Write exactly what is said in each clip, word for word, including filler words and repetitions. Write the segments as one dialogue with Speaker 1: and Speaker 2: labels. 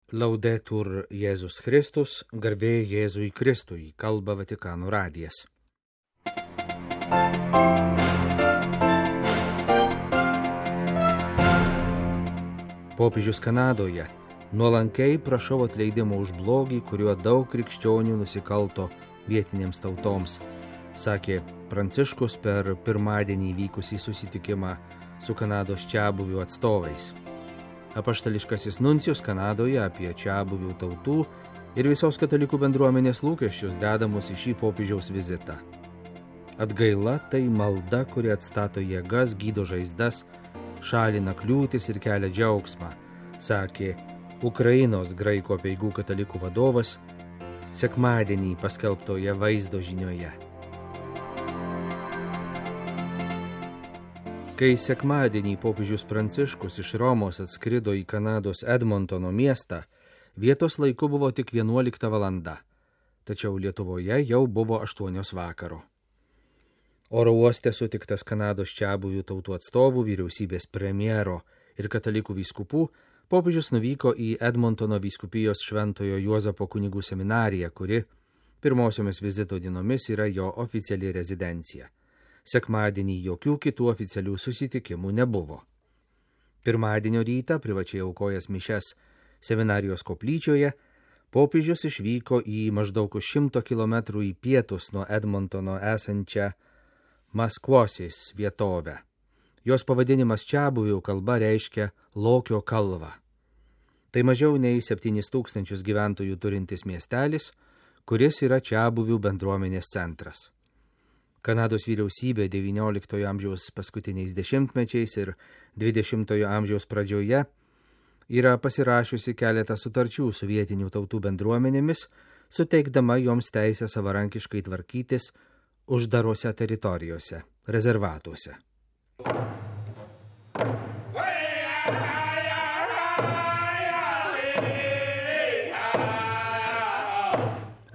Speaker 1: Laudetur Jėzus Kristus, garbė Jėzui Kristui, kalba Vatikano radijas. Popiežius Kanadoje: nuolankiai prašau atleidimo už blogį, kuriuo daug krikščionių nusikalto vietinėms tautoms, sakė Pranciškus per pirmadienį vykusį susitikimą su Kanados čiabuvių atstovais. Apaštališkasis nuncijus Kanadoje apie čiabuvių tautų ir visos katalikų bendruomenės lūkesčius dedamus į šį popiežiaus vizitą. Atgaila tai malda, kuri atstato jėgas, gydo žaizdas, šalina kliūtis ir kelia džiaugsmą, sakė Ukrainos graikų apeigų katalikų vadovas sekmadienį paskelbtoje vaizdo žinioje. Kai sekmadienį popiežius Pranciškus iš Romos atskrido į Kanados Edmontono miestą, vietos laiku buvo tik vienuolikta valanda, tačiau Lietuvoje jau buvo aštuonios vakaro. Oro uoste sutiktas Kanados čiabuvių tautų atstovų, vyriausybės premjero ir katalikų vyskupų, popiežius nuvyko į Edmontono vyskupijos Šventojo Juozapo kunigų seminariją, kuri pirmosiomis vizito dienomis yra jo oficiali rezidencija. Sekmadienį jokių kitų oficialių susitikimų nebuvo. Pirmadienio rytą, privačiai aukojęs mišes seminarijos koplyčioje, popiežius išvyko į maždaug šimto kilometrų į pietus nuo Edmontono esančią Maskvosis vietovę. Jos pavadinimas čiabuvių kalba reiškia Lokio kalvą. Tai mažiau nei septynis tūkstančius gyventojų turintis miestelis, kuris yra čiabuvių bendruomenės centras. Kanados vyriausybė devynioliktojo amžiaus paskutiniais dešimtmečiais ir dvidešimtojo amžiaus pradžioje yra pasirašiusi keletą sutarčių su vietinių tautų bendruomenėmis, suteikdama joms teisę savarankiškai tvarkytis uždarose teritorijose, rezervatuose.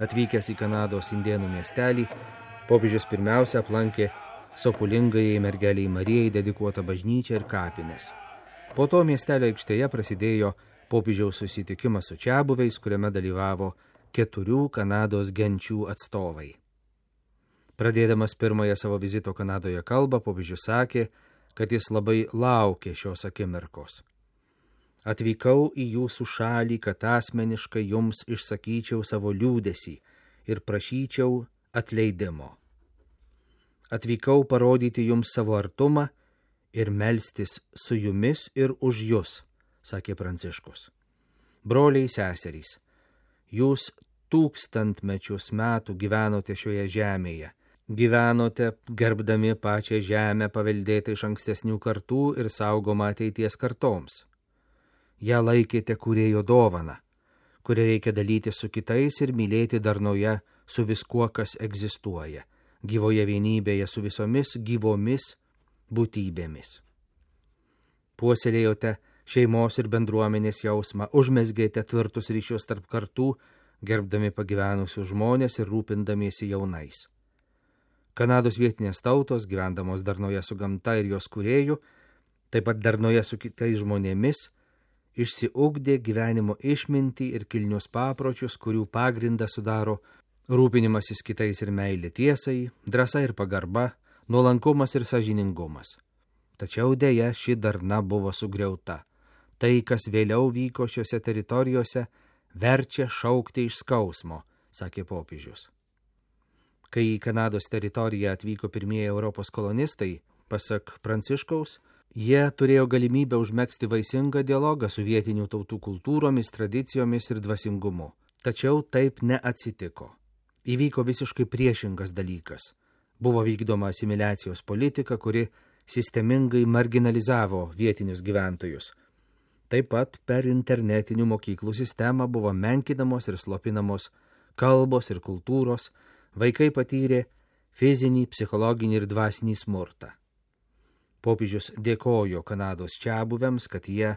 Speaker 1: Atvykęs į Kanados indėnų miestelį, popiežius pirmiausia aplankė sopulingajai mergeliai Marijai dedikuotą bažnyčią ir kapines. Po to miestelio aikštėje prasidėjo popiežiaus susitikimas su čiabuviais, kuriame dalyvavo keturių Kanados genčių atstovai. Pradėdamas pirmąją savo vizito Kanadoje kalbą, popiežius sakė, kad jis labai laukė šios akimirkos. Atvykau į jūsų šalį, kad asmeniškai jums išsakyčiau savo liūdesį ir prašyčiau atleidimo. Atvykau parodyti jums savo artumą ir melstis su jumis ir už jus, sakė Pranciškus. Broliai seserys, jūs tūkstantmečius metų gyvenote šioje žemėje, gyvenote gerbdami pačią žemę paveldėtą iš ankstesnių kartų ir saugomą ateities kartoms. Ja laikėte kūrėjo dovaną, kurią reikia dalyti su kitais ir mylėti darnoje su viskuo, kas egzistuoja, gyvoje vienybėje su visomis gyvomis būtybėmis. Puoselėjote šeimos ir bendruomenės jausmą, užmezgėte tvirtus ryšius tarp kartų, gerbdami pagyvenusius žmonės ir rūpindamiesi jaunais. Kanados vietinės tautos, gyvendamos darnoje su gamta ir jos kūrėju, taip pat darnoje su kitais žmonėmis, išsiugdė gyvenimo išmintį ir kilnius papročius, kurių pagrindą sudaro rūpinimasis kitais ir meilė tiesai, drąsa ir pagarba, nuolankumas ir sąžiningumas. Tačiau dėja ši darna buvo sugriauta. Tai, kas vėliau vyko šiuose teritorijose, verčia šaukti iš skausmo, sakė popiežius. Kai į Kanados teritoriją atvyko pirmieji Europos kolonistai, pasak Pranciškaus, jie turėjo galimybę užmegzti vaisingą dialogą su vietinių tautų kultūromis, tradicijomis ir dvasingumu. Tačiau taip neatsitiko. Įvyko visiškai priešingas dalykas. Buvo vykdoma asimiliacijos politika, kuri sistemingai marginalizavo vietinius gyventojus. Taip pat per internetinių mokyklų sistemą buvo menkinamos ir slopinamos kalbos ir kultūros, vaikai patyrė fizinį, psichologinį ir dvasinį smurtą. Popiežius dėkojo Kanados čiabuviams, kad jie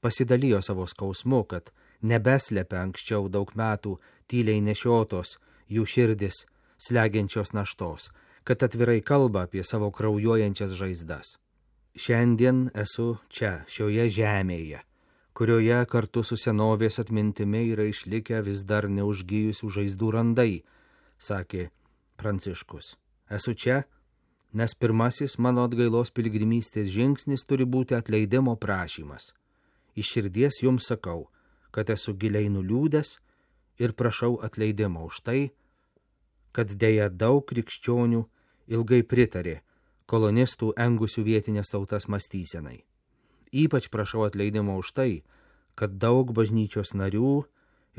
Speaker 1: pasidalijo savo skausmu, kad nebeslepia anksčiau daug metų tyliai nešiotos jų širdis slegiančios naštos, kad atvirai kalba apie savo kraujuojančias žaizdas. Šiandien esu čia, šioje žemėje, kurioje kartu su senovės atmintimi yra išlikę vis dar neužgijusių žaizdų randai, sakė Pranciškus. Esu čia, nes pirmasis mano atgailos piligrimystės žingsnis turi būti atleidimo prašymas. Iš širdies jums sakau, kad esu giliai nuliūdęs ir prašau atleidimo už tai, kad dėja daug krikščionių ilgai pritarė kolonistų engusių vietinės tautas mąstysenai. Ypač prašau atleidimo už tai, kad daug bažnyčios narių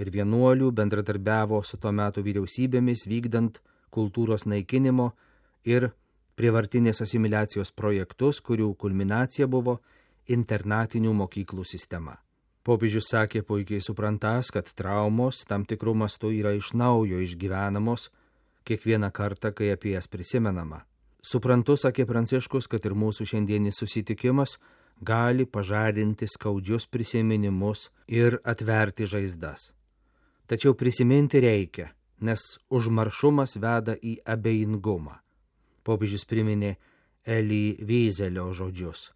Speaker 1: ir vienuolių bendradarbiavo su to metų vyriausybėmis vykdant kultūros naikinimo ir prievartinės asimiliacijos projektus, kurių kulminacija buvo internatinių mokyklų sistema. Popiežius sakė puikiai suprantas, kad traumos tam tikrų mastų yra iš naujo išgyvenamos kiekvieną kartą, kai apie jas prisimenama. Suprantu, sakė Pranciškus, kad ir mūsų šiandienis susitikimas gali pažadinti skaudžius prisiminimus ir atverti žaizdas. Tačiau prisiminti reikia, nes užmaršumas veda į abejingumą. Popiežius priminė Eli Veizelio žodžius,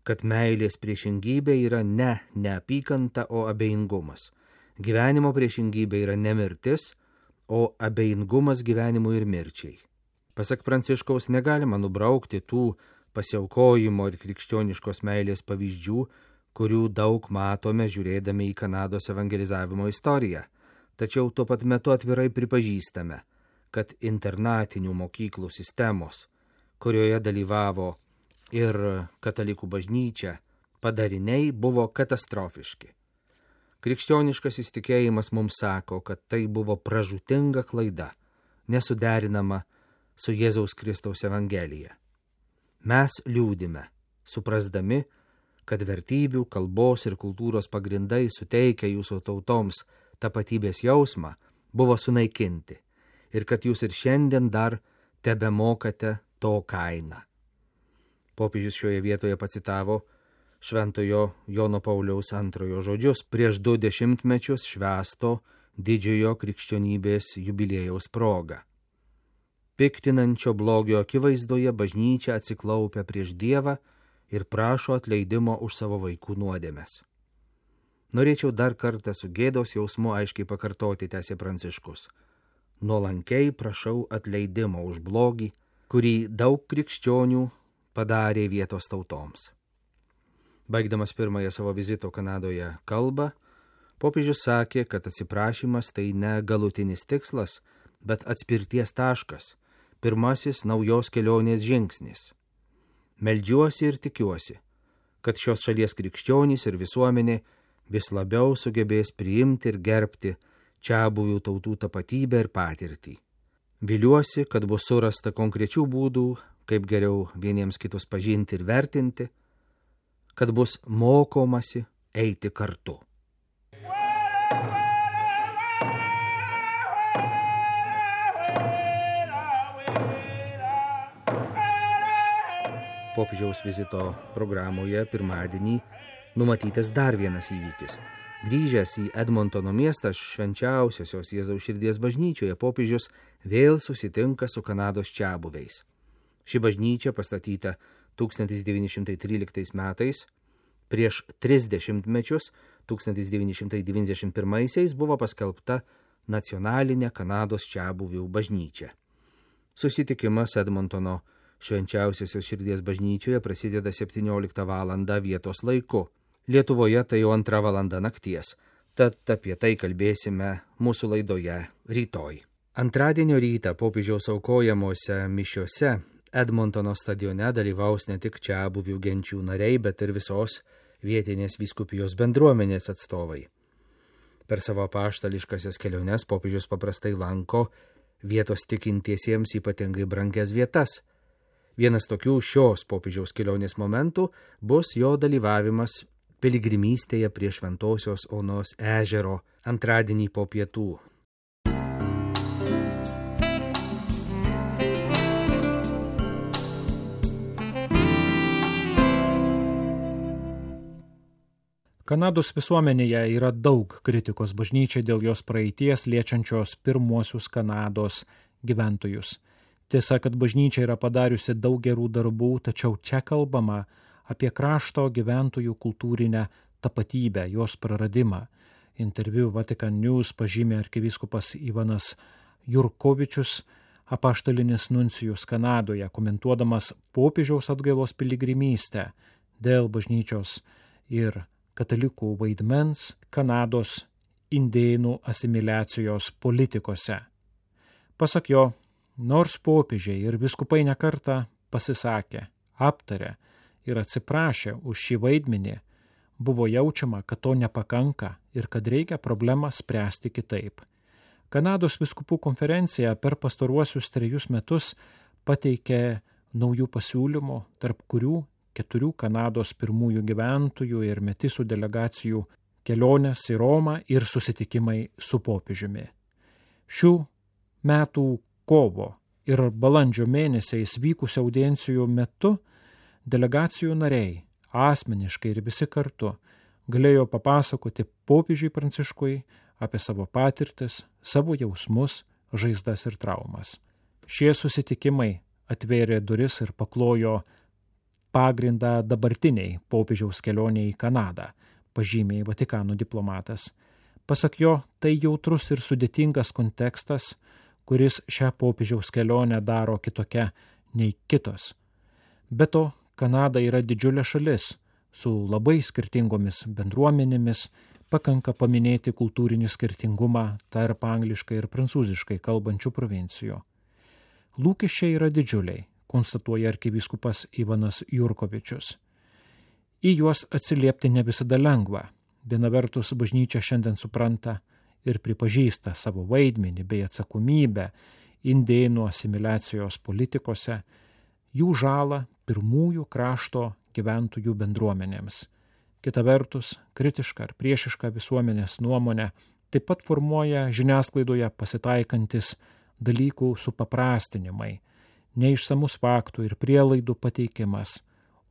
Speaker 1: kad meilės priešingybė yra ne neapykanta, o abejingumas. Gyvenimo priešingybė yra ne mirtis, o abejingumas gyvenimui ir mirčiai. Pasak Pranciškaus, negalima nubraukti tų pasiaukojimo ir krikščioniškos meilės pavyzdžių, kurių daug matome žiūrėdami į Kanados evangelizavimo istoriją. Tačiau tuo pat metu atvirai pripažįstame, kad internatinių mokyklų sistemos, kurioje dalyvavo ir katalikų bažnyčia, padariniai buvo katastrofiški. Krikščioniškas įsitikėjimas mums sako, kad tai buvo pražūtinga klaida, nesuderinama su Jėzaus Kristaus evangelija. Mes liūdime, suprasdami, kad vertybių, kalbos ir kultūros pagrindai suteikia jūsų tautoms tapatybės jausmą, buvo sunaikinti ir kad jūs ir šiandien dar tebemokate to kainą. Popiežius šioje vietoje pacitavo šventojo Jono Pauliaus antrojo žodžius prieš du dešimtmečius švęsto didžiojo krikščionybės jubiliejaus proga. Piktinančio blogio akivaizdoje bažnyčia atsiklaupia prieš Dievą ir prašo atleidimo už savo vaikų nuodėmes. Norėčiau dar kartą su gėdos jausmu aiškiai pakartoti, tęsė Pranciškus. Nuolankiai prašau atleidimo už blogį, kurį daug krikščionių padarė vietos tautoms. Baigdamas pirmąją savo vizito Kanadoje kalbą, popiežius sakė, kad atsiprašymas tai ne galutinis tikslas, bet atspirties taškas, pirmasis naujos kelionės žingsnis. Meldžiuosi ir tikiuosi, kad šios šalies krikščionys ir visuomenė vis labiau sugebės priimti ir gerbti čiabuvių tautų tapatybę ir patirtį. Viliuosi, kad bus surasta konkrečių būdų, kaip geriau vieniems kitus pažinti ir vertinti, kad bus mokomasi eiti kartu. Popiežiaus vizito programoje pirmadienį numatytas dar vienas įvykis. Grįžęs į Edmontono miestą švenčiausiosios Jėzaus širdies bažnyčioje, popiežius vėl susitinka su Kanados čiabuviais. Ši bažnyčia pastatyta tūkstantis devyni šimtai tryliktais metais, prieš tris dešimtmečius, tūkstantis devyni šimtai devyniasdešimt pirmaisiais buvo paskelbta nacionalinė Kanados čiabuvių bažnyčia. Susitikimas Edmontono švenčiausiosios širdies bažnyčioje prasideda septynioliktą valandą vietos laiku. Lietuvoje tai jau antra valanda nakties, tad apie tai kalbėsime mūsų laidoje rytoj. Antradienio rytą popiežiaus aukojamuose mišiose Edmontono stadione dalyvaus ne tik čiabuvių genčių nariai, bet ir visos vietinės vyskupijos bendruomenės atstovai. Per savo apaštališkasias keliones popiežius paprastai lanko vietos tikintiesiems ypatingai brangias vietas. Vienas tokių šios popiežiaus kelionės momentų bus jo dalyvavimas piligrimystėje prie Šventosios Onos ežero antradienį po pietų.
Speaker 2: Kanados visuomenėje yra daug kritikos bažnyčiai dėl jos praeities liečiančios pirmuosius Kanados gyventojus. Tiesa, kad bažnyčia yra padariusi daug gerų darbų, tačiau čia kalbama apie krašto gyventojų kultūrinę tapatybę, jos praradimą. Interviu Vatican News pažymė arkivyskupas Ivanas Jurkovičius, apaštalinis nuncijus Kanadoje, komentuodamas popiežiaus atgailos piligrimystę dėl bažnyčios ir katalikų vaidmens Kanados indėnų asimiliacijos politikose. Pasak jo, nors popiežiai ir vyskupai nekartą pasisakė, aptarė ir atsiprašė už šį vaidmenį, buvo jaučiama, kad to nepakanka ir kad reikia problemą spręsti kitaip. Kanados vyskupų konferencija per pastaruosius trejus metus pateikė naujų pasiūlymų, tarp kurių keturių Kanados pirmųjų gyventojų ir metisų delegacijų kelionės į Romą ir susitikimai su popiežiumi. Šių metų kovo ir balandžio mėnesiais vykusių audiencijų metu delegacijų nariai asmeniškai ir visi kartu galėjo papasakoti popiežiui Pranciškui apie savo patirtis, savo jausmus, žaizdas ir traumas. Šie susitikimai atvėrė duris ir paklojo pagrindą dabartiniai popiežiaus kelionė į Kanadą, pažymė Vatikano diplomatas. Pasak jo, tai jautrus ir sudėtingas kontekstas, kuris šią popiežiaus kelionę daro kitokia nei kitos. Be to, Kanada yra didžiulė šalis su labai skirtingomis bendruomenėmis, pakanka paminėti kultūrinį skirtingumą tarp angliškai ir prancūziškai kalbančių provincijų. Lūkesčiai yra didžiuliai, konstatuoja arkivyskupas Ivanas Jurkovičius. Į juos atsiliepti ne visada lengva. Viena vertus bažnyčia šiandien supranta ir pripažįsta savo vaidmenį bei atsakomybę indėnų asimiliacijos politikose, jų žalą pirmųjų krašto gyventojų bendruomenėms. Kita vertus, kritiška ar priešiška visuomenės nuomonė taip pat formuoja žiniasklaidoje pasitaikantis dalykų supaprastinimai, neišsamus faktų ir prielaidų pateikimas,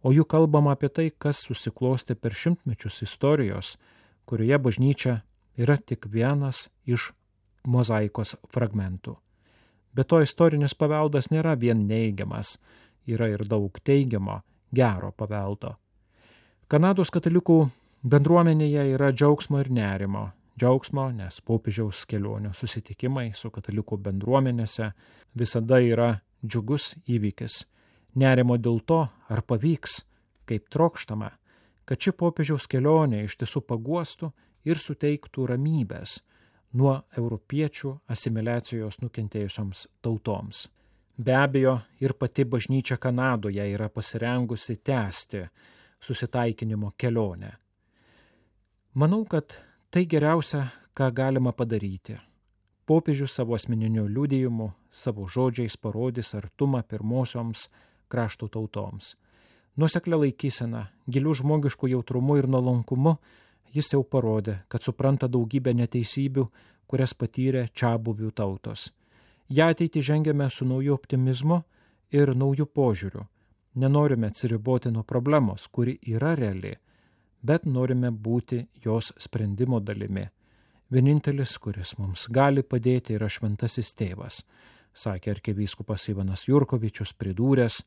Speaker 2: o jų kalbama apie tai, kas susiklosti per šimtmečius istorijos, kurioje bažnyčia yra tik vienas iš mozaikos fragmentų. Be to, istorinis paveldas nėra vien neigiamas, yra ir daug teigiamo, gero paveldo. Kanados katalikų bendruomenėje yra džiaugsmo ir nerimo. Džiaugsmo, nes popiežiaus kelionių susitikimai su katalikų bendruomenėse visada yra džiugus įvykis. Nerimo dėl to, ar pavyks, kaip trokštama, kad ši popiežiaus kelionė iš tiesų paguostų ir suteiktų ramybės nuo europiečių asimiliacijos nukentėjusioms tautoms. Be abejo, ir pati bažnyčia Kanadoje yra pasirengusi tęsti susitaikinimo kelionę. Manau, kad tai geriausia, ką galima padaryti. Popiežius savo asmeniniu liudijimu, savo žodžiais parodys artumą pirmosioms krašto tautoms. Nuoseklia laikysena, gilių žmogiškų jautrumu ir nuolankumu jis jau parodė, kad supranta daugybę neteisybių, kurias patyrė čiabuvių tautos. Ja ateitį žengiame su nauju optimizmu ir nauju požiūriu. Nenorime atsiriboti nuo problemos, kuri yra reali, bet norime būti jos sprendimo dalimi. Vienintelis, kuris mums gali padėti, yra šventasis tėvas, sakė arkivyskupas Ivanas Jurkovičius, pridūręs,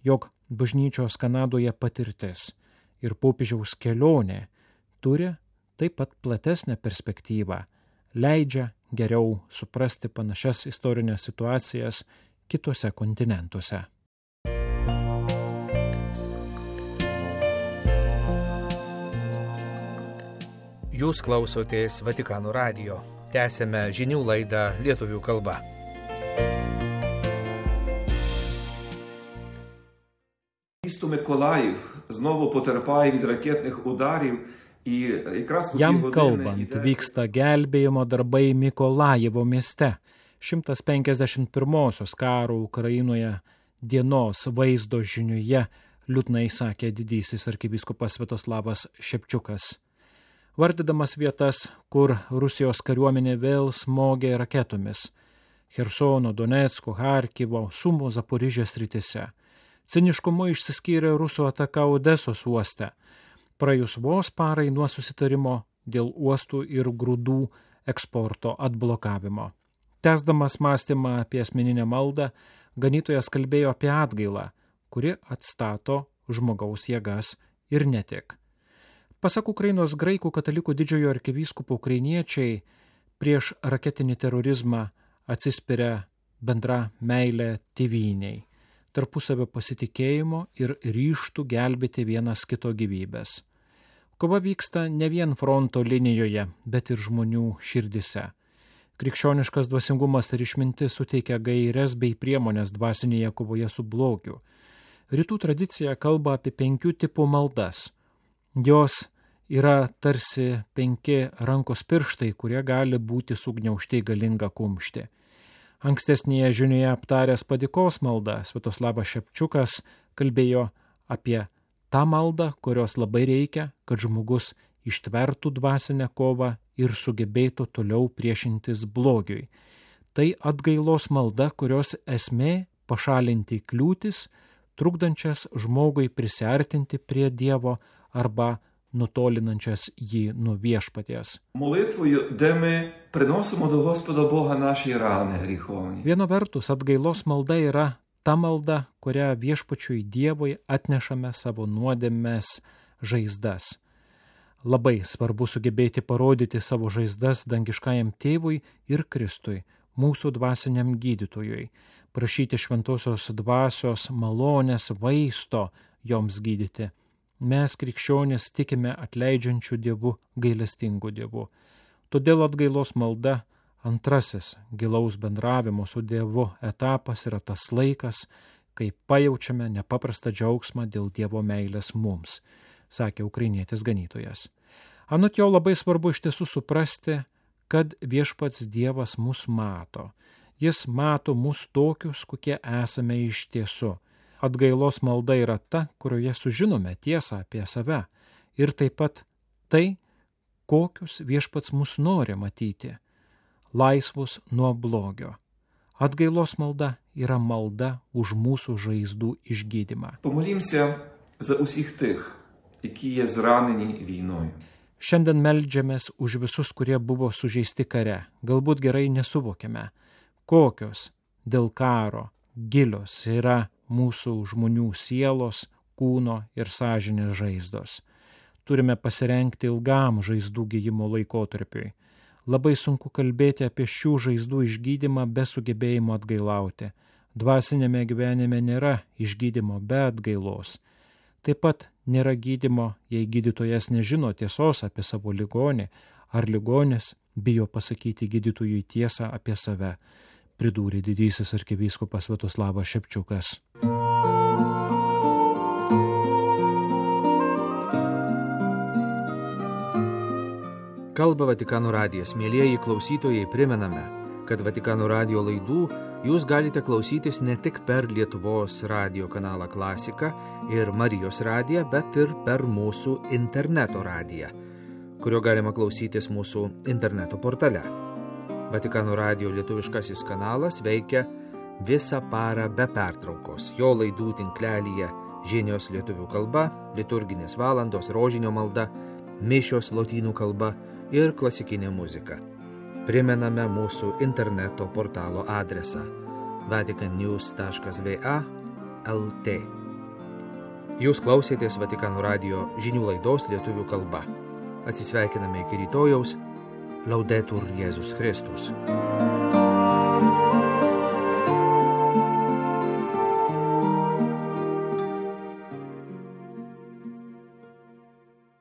Speaker 2: jog bažnyčios Kanadoje patirtis ir popiežiaus kelionė turi taip pat platesnę perspektyvą, leidžia geriau suprasti panašias istorinės situacijas kitose kontinentuose.
Speaker 1: Jūs klausotės Vatikano radijo. Tęsėme žinių laidą lietuvių kalba.
Speaker 3: Місто Миколаїв знову потерпає від ракетних ударів.
Speaker 2: Jam kalbant vyksta gelbėjimo darbai Mikolajevo mieste. šimtas penkiasdešimt pirmosios karo Ukrainoje dienos vaizdo žiniuje liūdnai sakė didysis arkivyskupas Sviatoslavas Šepčiukas. Vardydamas vietas, kur Rusijos kariuomenė vėl smogė raketomis – Chersono, Donecko, Harkivo, Sumo, Zaporižės srityse. Ciniškumu išsiskyrė Rusų ataka Odesos uoste. Praėjus vos parai nuo susitarimo dėl uostų ir grūdų eksporto atblokavimo. Tęsdamas mąstymą apie asmeninę maldą, ganytojas kalbėjo apie atgailą, kuri atstato žmogaus jėgas ir ne tik. Pasak Ukrainos graikų katalikų didžiojo arkivyskupo ukrainiečiai prieš raketinį terorizmą atsispiria bendra meilė tėvynei, tarpusavio pasitikėjimo ir ryžtų gelbėti vienas kito gyvybės. Kova vyksta ne vien fronto linijoje, bet ir žmonių širdise. Krikščioniškas dvasingumas ir išmintis suteikia gaires bei priemonės dvasinėje kovoje su blogiu. Rytų tradicija kalba apie penkių tipų maldas. Jos yra tarsi penki rankos pirštai, kurie gali būti sugniaužti galingą kumštį. Ankstesnėje žinioje aptaręs padėkos maldą, Sviatoslavas Šepčiukas kalbėjo apie tą maldą, kurios labai reikia, kad žmogus ištvertų dvasinę kovą ir sugebėtų toliau priešintis blogiui. Tai atgailos malda, kurios esmė pašalinti kliūtis, trukdančias žmogui prisiartinti prie Dievo arba nutolinančias jį nuo viešpaties.
Speaker 3: Молитвою, де ми приносимо до Господа Бога наші рани гріховні.
Speaker 2: Viena vertus, atgailos malda yra ta malda, kurią viešpačiui Dievui atnešame savo nuodėmės žaizdas. Labai svarbu sugebėti parodyti savo žaizdas dangiškajam tėvui ir Kristui, mūsų dvasiniam gydytojui, prašyti šventosios dvasios malonės vaisto joms gydyti. Mes krikščionys tikime atleidžiančių Dievu, gailestingų Dievu. Todėl atgailos malda, antrasis gilaus bendravimo su Dievu etapas, yra tas laikas, kai pajaučiame nepaprastą džiaugsmą dėl Dievo meilės mums, sakė ukrainietis ganytojas. Anot jo labai svarbu iš tiesų suprasti, kad viešpats Dievas mus mato. Jis mato mus tokius, kokie esame iš tiesų. Atgailos malda yra ta, kurioje sužinome tiesą apie save ir taip pat tai, kokius viešpats mus nori matyti, laisvus nuo blogio. Atgailos malda yra malda už mūsų žaizdų išgydymą.
Speaker 3: Помолімся за усіх тих, які є зранені війною.
Speaker 2: Šiandien meldžiamės už visus, kurie buvo sužeisti kare. Galbūt gerai nesuvokiame, kokios dėl karo gilios yra mūsų žmonių sielos, kūno ir sąžinės žaizdos. Turime pasirengti ilgam žaizdų gydymo laikotarpiui. Labai sunku kalbėti apie šių žaizdų išgydymą be sugebėjimo atgailauti. Dvasinėme gyvenime nėra išgydymo be atgailos. Taip pat nėra gydymo, jei gydytojas nežino tiesos apie savo ligonį, ar ligonis bijo pasakyti gydytojui tiesą apie save, pridūrė didysis arkivyskupas Sviatoslavas Šepčiukas.
Speaker 1: Kalba Vatikano radijas. Mielieji klausytojai, primename, kad Vatikano radijo laidų jūs galite klausytis ne tik per Lietuvos radijo kanalą Klasika ir Marijos radiją, bet ir per mūsų interneto radiją, kurio galima klausytis mūsų interneto portale. Vatikano radijo lietuviškasis kanalas veikia visą parą be pertraukos. Jo laidų tinklelyje žinios lietuvių kalba, liturginės valandos, rožinio malda, mišios lotynų kalba ir klasikinė muzika. Primename mūsų interneto portalo adresą vatican news taškas v a taškas l t. Jūs klausėtės Vatikano radijo žinių laidos lietuvių kalba. Atsisveikiname iki rytojaus. Laudetur Jėzus Kristus.